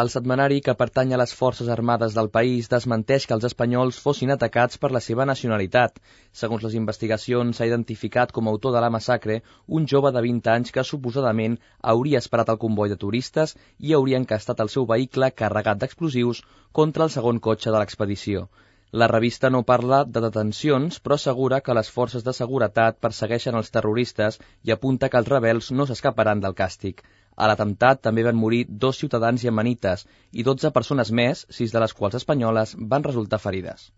El setmanari, que pertany a les Forces Armades del país, desmenteix que els espanyols fossin atacats per la seva nacionalitat. Segons les investigacions, s'ha identificat com a autor de la massacre un jove de 20 anys que suposadament hauria esperat el comboi de turistes i hauria encastat el seu vehicle carregat d'explosius contra el segon cotxe de l'expedició. La revista no parla de detencions, però assegura que les forces de seguretat persegueixen els terroristes i apunta que els rebels no s'escaparan del càstig. A l'atemptat també van morir 2 ciutadans iemenites i 12 persones més, 6 de les quals espanyoles, van resultar ferides.